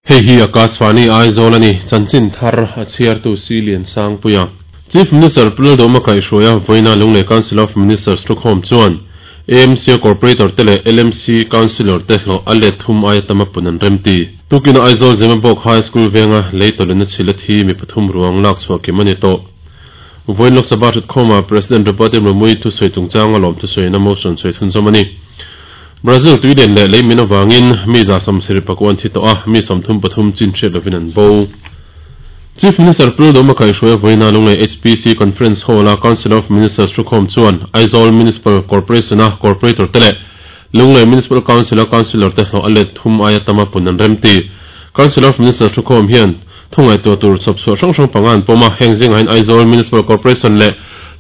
Hei hi Akashvani Aizawl a ni, chanchin thar a chhiartu Si Liansangpuia. Chief Minister Pu Lalduhoma kaihhruaia vawiina Lunglei Council of Ministers thukhawm chuan AMC-a Corporator te leh LMC Councillor te hlawh a let thum aia tam a pun an remti. Tukina Aizawl Zemabawk High School venga lei tawlhna chhilh a thi mi pathum ruang lak chhuah kim a ni tawh. Vawiin Lok Sabha thutkhawmah President Draupadi Murmu-i thusawi chungchanga lawm thusawina motion sawi chhunzawm a ni. Brazil tuilian leh leimin avangin mi 70 pakua an thi tawh a, mi 33 chin hriat lovin an bo. Chief Minister Pu Lalduhoma kaihhruaia vawiina Lunglei HPC Conference Hall-a Council of Ministers thukhawm chuan Aizawl Municipal Corporation-a Corporator te leh Lunglei Municipal Council-a Councillor te hlawh a let thum aia tama pun an remti. Council of Ministers thukhawm hian Thu ngaihtuah tur chhawpchhuah hrang hrang panga an pawm a, heng zingah hian Aizawl Municipal Corporation leh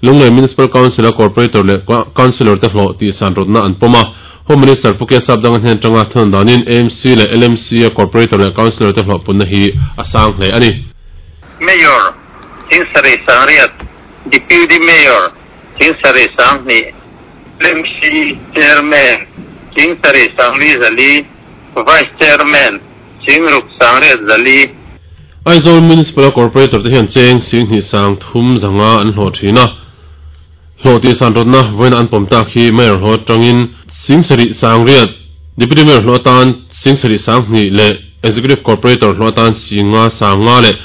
Lunglei Municipal Council-a Corporator leh Councillor te hlawh tihsan rawtna an pawm a. Home Minister Pu K Sapdanga hnen atanga thunawn danin AMC leh LMC-a Corporator leh Councillor te hlawh punna hi a sang hle a ni. Mayor, Thingsarih Sangriat, Deputy Mayor, Thingsarih Sanghnih, LMC Chairman, Thingsarih Sangli Zali, Vice Chairman, Singruk Sangriat Zali. Aizawl Municipal-a Corporator te hian cheng Singhnih sang thum zanga an hlawh thin a, hlawh tih san rawtna vawiina an pawm tak hi Mayor hlawh atangin Singsarih Sangriat, Deputy Mayor hlawh atan Singsarih Sanghnih leh Executive Corporator hlawh atan Singa Sanga leh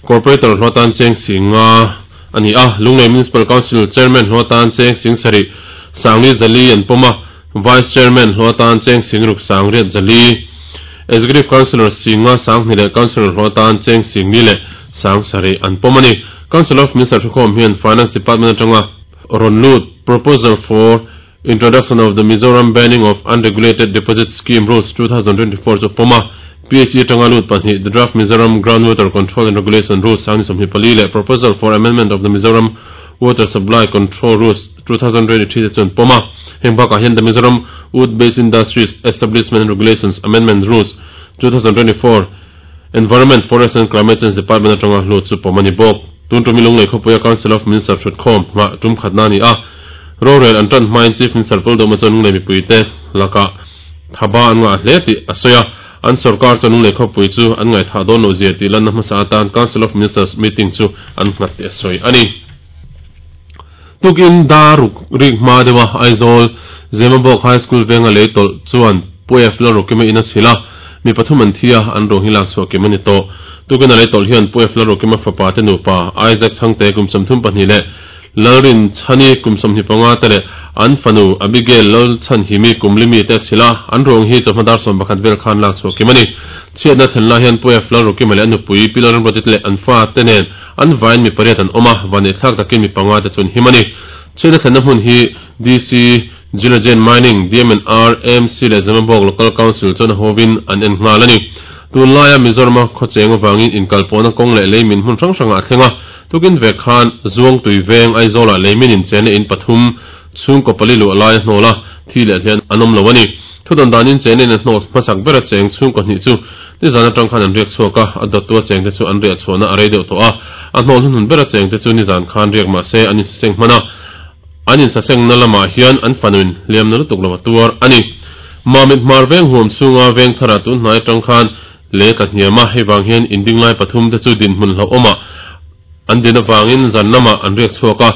Corporator hlawh atan cheng Singa a ni a, Lunglei Municipal Council Chairman hlawh atan cheng Singsarih Sangli Zali an pawm a. Vice Chairman hlawh atan cheng Singruk Sangriat Zali, Executive Councillor Singa Sanghni leh Councillor hlawh atan cheng Singli leh Sangsarih an pawm a ni. Council of Minister thukhawm hian Finance Department atanga rawn lut Proposal for Introduction of the Mizoram Banning of Unregulated Deposit Scheme Rules 2024 chu pawm a. PHE atanga lut pahnih The Draft Mizoram Groundwater Control and Regulation Rules 2024 leh Proposal for Amendment of the Mizoram Water Supply Control Rules 2023 te chu an pawm a. Heng bakah hian The Mizoram Wood Based Industries Establishment and Regulations Amendment Rules 2024 Environment, Forest and Climate Change Department atanga hlut chu pawm a ni bawk. Tun tumi Lunglei khawpuia Council of Minister thutkhawm nghah tum khatna a ni a. Rorel an tan hmain Chief Minister Paul Dawma chuan Lunglei mipuite lakah thaba an ngah hle tih a sawi a. An sorkar chuan Lunglei khawpui chu an ngaihthah dawn loh zia tih lanna hmasa atan Council of Ministers meeting chu an nghat tih a sawi a ni. Tukin dar ruk rik hma deuha Aizawl Zemabawk High School venga lei tawlh chuan Pu F Lalrukima in a chhilh a, mi pathum an thi a, an ruang hi lak chhuah kim a ni tawh. Tukin a lei tawlh hian Pu F Lalrukima fapa te nupa Isaac Chhangte kum 32 leh Lalrin Chhani kum 25 te leh an fanu Abigail Lalchhanhimi kum limi te a chhilh a, an ruang hi chawhma dar 11 vel khan lak chhuah kim a ni. Chhiatna thlen lai hian Pu F Lalrukima leh a nupui Pi Lalramruati te leh an fa te nen An vaiin mi pariat an awm a, vaneihthlak takin mi panga te chu an him a ni. Chhiatna thlenna hmun hi DC, Geology and Mining, DMNR, AMC leh Zemabawk Local Council chuan a hovin an en nghal a ni. Tunlaia Mizorama khawcheng avangin inkalpawhna kawng leh leimin hmun hrang hrangah a thleng a, tukin vek khan Zuangtui veng Aizawlah leimin inchena in pathum chhungkaw pali luah lai a hnawl a, thi leh hlian an awm lo a ni. Thudawn danin chena in a hnawl hmasak bera cheng chhungkaw hnih chu Nizan atang khan an riak chhuak a, a dawttu a chengte chu an riah chhuahna a rei deuh tawh a, a hnawl hnuhnun ber a chengte chu nizan khan riak mah se an insaseng hman a, an insasengna lamah hian an fanuin hliamna lutuk lo a tuar a ni. Mamit hmar veng huam chhunga veng tharah tun hnai atang khan lei a tla hniam a, hei vang hian inding lai pathum te chu dinhmun hlauhawmah an din avangin zan lamah an riak chhuak a,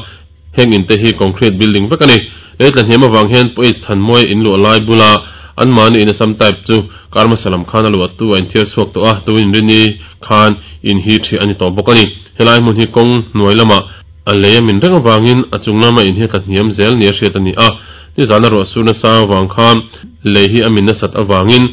Heng in te hi concrete building vek a ni. Lei tla hniam avang hian Poise Thanmuai in luah lai bula anmahni in Assam type chu kar hmasa lam khan a luah tu a inthiar chhuak tawh a, tuin Rini khan in hi ṭhiah a ni tawh bawk a ni. Helai hmun hi kawng hnuai lamah a lei a min reng avangin a chung lama in hi a tla hniam zel nia hriat a ni a. Nizana ruah sur nasa avang khan lei hi a min nasat avangin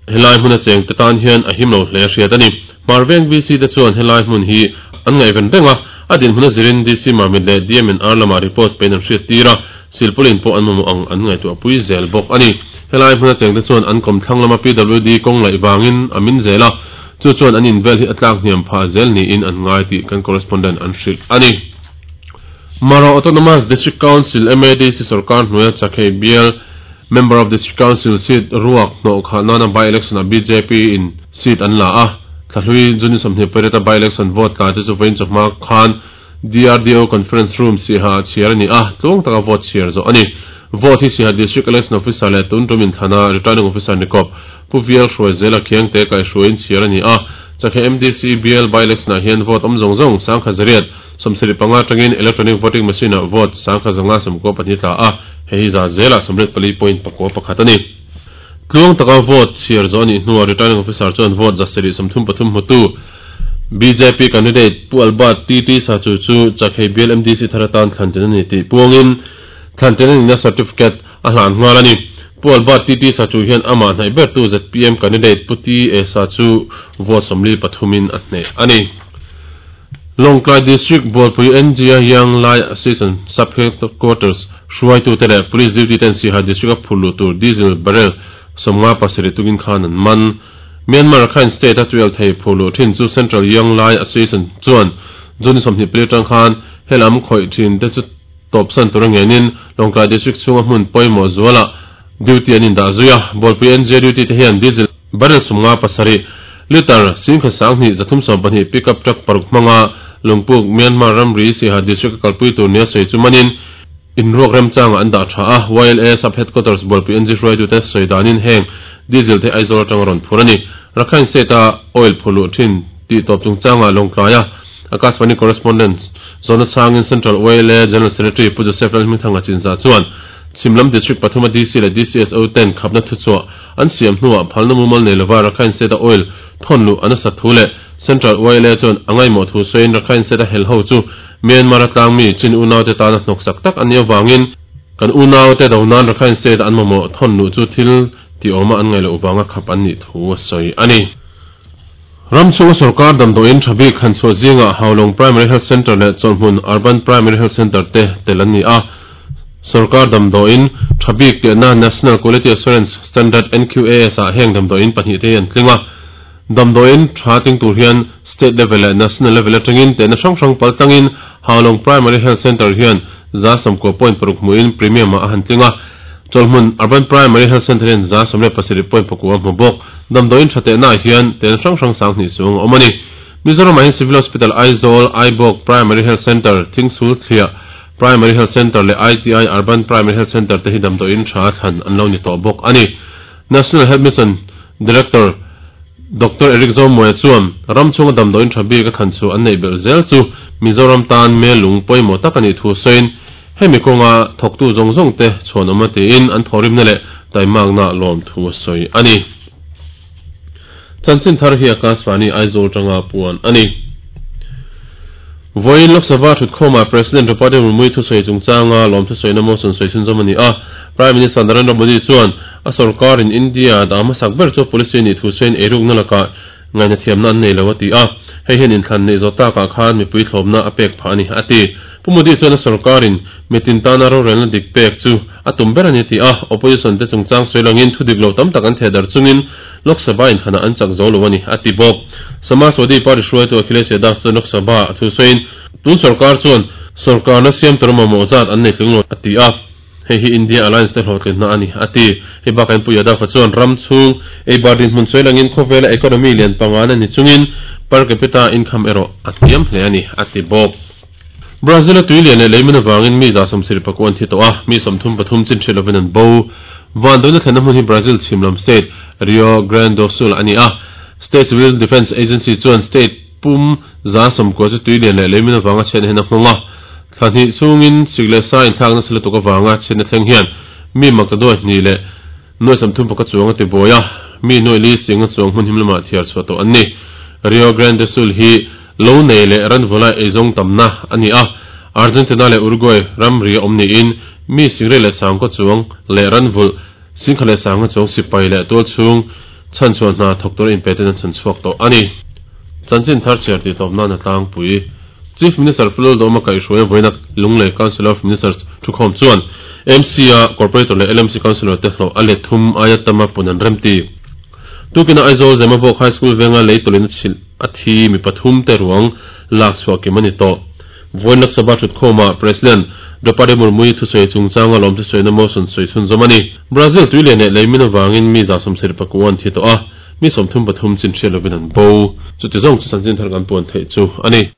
helai hmuna chengte tan hian a him lo hle a hriat a ni. Hmarveng VC te chuan helai hmun hi an ngaihven reng a, a dinhmun a zirin DC Mamit leh DMNR lamah report pein an hriat tir a, silpaulin pawh an mamawh ang an ngaihtuah pui zel bawk a ni. Helai hmuna chengte chuan an kawmthlang lama PWD kawng laih vangin a min zel a, chu chuan an invel hi a tlak hniam phah zel niin an ngai tih kan correspondent an hrilh a ni. Mara Autonomous District Council, MADC, sorkar hnuaia Chakhei bial Member of District Council seat ruak hnawh khah nana by-election ah bjp in seat an la a, Thlahlui June 28 a by-election vote tla te chu vawiin chawhma khan DRDO Conference Room Siaha ah chhiar a ni a, tluang taka vote chhiar zawh a ni. Vote hi Siaha District Election Officer leh tun tum inthlana Returning Officer ni kawp Pu Vial Hruaizela Khiangte kaihhruaiin chhiar a ni a. Chakhe MDC bial by-election ah hian vote awm zawng zawng 1025 atangin Electronic Voting Machine ah vote 1594 tla a, hei hi za zelah 84.91 a ni. Tluang taka vote chhiar zawh a nih hnuah Returning Officer chuan vote 733 hmutu bjp candidate Pu Albert TT Sachu chu Chakhei bial MDC thar atan thlan ṭan a ni tih puangin thlan ṭan a nihna certificate a hlan nghal a ni. Pu Albert TT Sachu hian amah hnaih bertu zpm candidate Pu TA Sachu vote 43 in a hneh a ni. Lawngtlai District Bualpui NGA Young Lai Association Sub Headquarters hruaitute leh Police duty ten Siaha District a phur luh tur Diesel barrel 57 tukin khan an man. Myanmar Rakhine State a tuial thei phur luh thin chu Central Young Lai Association chuan June 24 atang khan helam khawih thin te chu tawpsan tur a ngenin Lawngtlai District chhunga hmun pawimawh zualah duty an indah zui a. Bualpui NGA duty te hian Diesel barrel 57 litre 12,312 pickup truck paruk hmanga Lungpuk Myanmar ramri Siaha District a kalpui tur nia sawi chu manin inruak remchangah an dah tha a. YLA Sub Headquarters Bualpui NG hruaitute sawi danin heng Diesel te Aizawl atanga rawn phur a ni. Rakhine State a oil phur luh thin tih tawp chungchangah Lawngtlai a Akashvani Correspondent zawhna chhangin Central YLA General Secretary Pu Joseph Lalhmingthanga Chinzah chuan Chhimlam District pathum a DC leh DCSO ten khapna thuchhuah an siam hnuah phalna mumal nei lova Rakhine State a oil thawn luh an a sat thu leh Central YLA chuan a ngaihmawh thu sawiin Rakhine State a hel ho chu Myanmar a tlangmi Chin unaute tana hnawksak tak an nih avangin kan unaute do nan Rakhine State an mamawh thawn luh chu thil ti awma an ngaih loh vanga khap an nih thu a sawi a ni. Ram chhunga sorkar damdawiin tha bik han chhuah zingah Haulawng Primary Health Centre leh Chawlhhmun Urban Primary Health Centre te tel an ni a. Sorkar damdawiin tha bik tehna National Quality Assurance Standard, NQAS, ah heng damdawiin pahnih te hi an tling a. Damdawiin tha tling tur hian State level leh National level atangin tehna hrang hrang pal tlangin Haulawng Primary Health Centre hian 90.6 hmuhin Premium ah a han tling a. Chawlhhmun Urban Primary Health Centre hian 17.9 a hmu bawk. Damdawiin tha tehnaah hian tehna hrang hrang 2000 chuang a awm a ni. Mizoramah hian Civil Hospital Aizawl, Aibawk Primary Health Centre, Thingsul Thliah Primary Health Centre leh ITI Urban Primary Health Centre te hi damdawiin tha thlan an lo ni tawh bawk a ni. National Health Mission Director Doctor Eric Zomuaia chuan ram chhunga damdawiin tha bik a thlan chhuah an neih belh zel chu Mizoram tan melung pawimawh tak a nih thu sawiin hemi kawnga thawktu zawng zawng te chhuan awm a tiin an thawhrimna leh taimakna lawm thu a sawi a ni. Chanchin thar hi Akashvani Aizawl tanga puan a ni. Vawiin Lok Sabha thutkhawmah President Draupadi Murmu thusawi chungchanga lawm thusawina motion sawi chhunzawm a ni a. Prime Minister Narendra Modi chuan a sorkarin India dah hmasak ber chu policy nih thu sawiin eirukna lakah ngaihna thiamna an nei lo a ti a. Hei hian inthlan neih zawh takah khan mipui thlawpna a pek phah a ni a ti. Pu Modi chuan a sorkarin mitin tana rorelna dik pek chu a tum ber a ni ti a. Opposition te chungchang sawi langin thu dik lo tam tak an theh darh chungin Lok Sabha inthlanah an chak zo lo a ni a ti bawk. Samajwadi Party hruaitu Akhilesh Yadav chuan Lok Sabha a thu sawiin tun sorkar chuan sorkarna siam tur mamawh zat an nei tling lo a ti a. Hei hi India Alliance te hlawhtlinna a ni a ti. Hei bakah in Pu Yadav-a chuan ram chhung eibar dinhmun sawi langin khawvela economy lian pangana ni chungin per capita income erawh a hniam hle a ni a ti bawk. Brazil a tui lian leh leimin avangin mi 74 an thi tawh a, mi 33 chin hriat lovin an bo. Vanduaina thlenna hmun hi Brazil chhim lam state Rio Grande do Sul a ni a. State Civil Defence Agency chuan state pum 90 chu tui lian leh leimin avanga chhiatna hian a nghawng a. Thla hnih chhungin sik leh sa inthlak nasa lutuk avanga chhiatna thleng hian mi maktaduai hnih leh nuai 31 chuang a ti buai a, mi nuai li singa chuang hmun him lamah thiar chhuah tawh an ni. Rio Grande do Sul hi lo nei leh ranvulai eizawng tamna a ni a, Argentina leh Uruguay ramri a awm niin mi singrei leh sangkaw chuang leh ranvulh singkha leh sanga chuang sipai leh tual chhung chhanchhuah hna thawk tura inpe ten an chhan chhuak tawh a ni. Chanchin thar chhiar tih tawp nan a tlangpui. Chief Minister Pu Lalduhoma kaihhruai vawiina Lunglei Council of Ministers thukhawm chuan MC a Corporator leh LMC Councillor te hlawh a let thum aia tama pun an remti. Tukina Aizawl Zemabawk High School venga lei tawlhin a chhilh a thi mi pathum te ruang lak chhuah kim a ni tawh. Vawiin Lok Sabha thutkhawmah President Draupadi Murmu-i thusawi chungchanga lawm thusawina motion sawi chhunzawm a ni. Brazil tui lian leh leimin avangin mi 79 an thi tawh a, mi 33 chin hriat lovin an bo. Chuti zawng chu chanchin thar kan puan theih chu a ni.